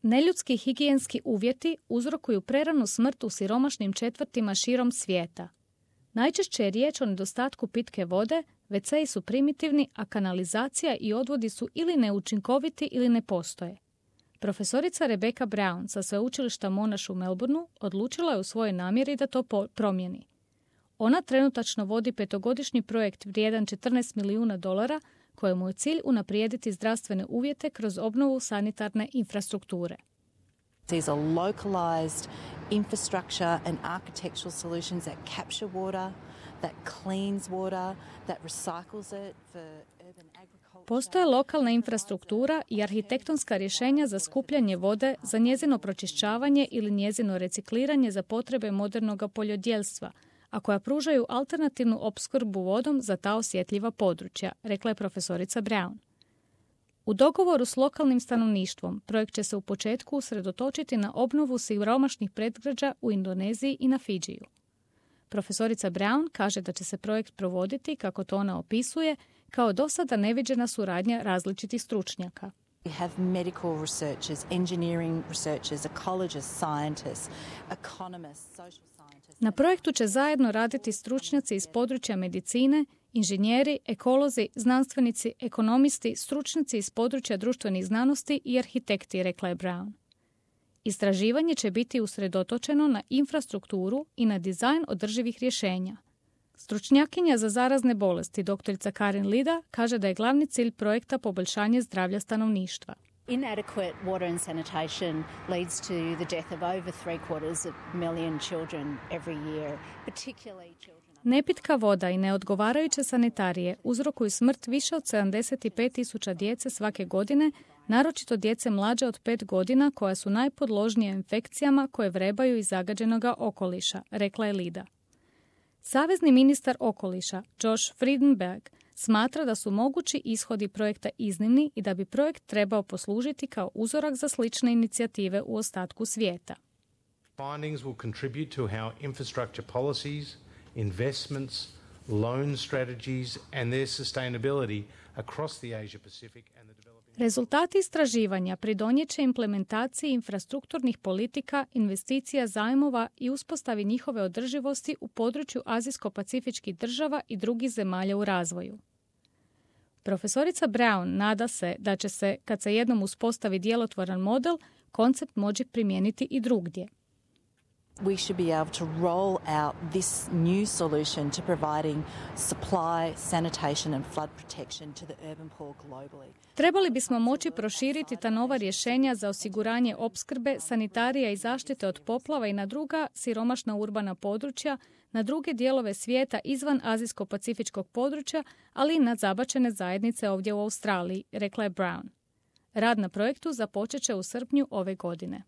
Neljudski higijenski uvjeti uzrokuju preranu smrt u siromašnim četvrtima širom svijeta. Najčešće je riječ o nedostatku pitke vode, WC-i su primitivni, a kanalizacija i odvodi su ili neučinkoviti ili ne postoje. Profesorica Rebecca Brown sa sveučilišta Monash u Melbourneu odlučila je u svojoj namjeri da to promijeni. Ona trenutačno vodi 5-godišnji projekt vrijedan $14 milijuna kojemu je cilj unaprijediti zdravstvene uvjete kroz obnovu sanitarne infrastrukture. These are localized infrastructure and architectural solutions that capture water, that cleans water, that recycles it for urban agriculture. Postoje lokalna infrastruktura i arhitektonska rješenja za skupljanje vode, za njezino pročišćavanje ili njezino recikliranje za potrebe modernog poljodjelstva, a koja pružaju alternativnu opskrbu vodom za ta osjetljiva područja, rekla je profesorica Brown. U dogovoru s lokalnim stanovništvom projekt će se u početku usredotočiti na obnovu siromašnih predgrađa u Indoneziji i na Fidžiju. Profesorica Brown kaže da će se projekt provoditi, kako to ona opisuje, kao do sada neviđena suradnja različitih stručnjaka. We have medical researchers, engineering researchers, ecologists, scientists, economists, social scientists. Na projektu će zajedno raditi stručnjaci iz područja medicine, inženjeri, ekolozi, znanstvenici, ekonomisti, stručnjaci iz područja društvenih znanosti i arhitekti, rekla je Brown. Istraživanje će biti usredotočeno na infrastrukturu i na dizajn održivih rješenja. Stručnjakinja za zarazne bolesti, doktorica Karin Lida, kaže da je glavni cilj projekta poboljšanje zdravlja stanovništva. Inadequate water and sanitation leads to the death of over 750,000 children every year, particularly children. Nepitka voda i neodgovarajuće sanitarije uzrokuju smrt više od 75,000 djece svake godine, naročito djece mlađe od 5 godina koja su najpodložnije infekcijama koje vrebaju iz zagađenog okoliša, rekla je Lida. Savezni ministar okoliša, Josh Frydenberg, smatra da su mogući ishodi projekta iznimni i da bi projekt trebao poslužiti kao uzorak za slične inicijative u ostatku svijeta. Findings will contribute to how infrastructure policies, investments, loan strategies and their sustainability across the Asia Pacific and the developing. Rezultati istraživanja pridonijet će implementaciji infrastrukturnih politika, investicija, zajmova i uspostavi njihove održivosti u području azijsko-pacifičkih država i drugih zemalja u razvoju. Profesorica Brown nada se da će se, kad se jednom uspostavi djelotvoran model, koncept moći primijeniti i drugdje. We should be able to roll out this new solution to providing supply, sanitation and flood protection to the urban poor globally. Trebali bismo moći proširiti ta nova rješenja za osiguranje opskrbe, sanitarija i zaštite od poplava i na druga siromašna urbana područja, na druge dijelove svijeta izvan azijsko-pacifičkog područja, ali i na zabačene zajednice ovdje u Australiji, rekla je Brown. Rad na projektu započet će u srpnju ove godine.